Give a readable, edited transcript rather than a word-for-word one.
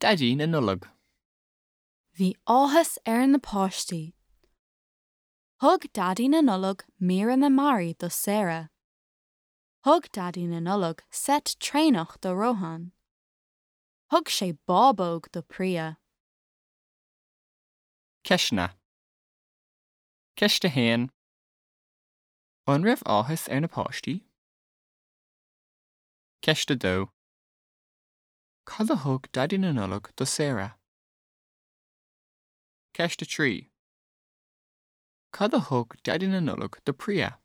Daidí na Nollag. Bhí áthas ar na páistí. Thug Daidí na Nollag míreanna mearaí do Sarah. Thug Daidí na Nollag seit traenach do Rohan. Thug sé bábóg do Priya. Ceisteanna. Ceist 1. An raibh áthas ar na páistí? Ceist 2. Cad a thug Daidí na Nollag do Sarah? Ceist 3. Cad a thug Daidí na Nollag do Priya?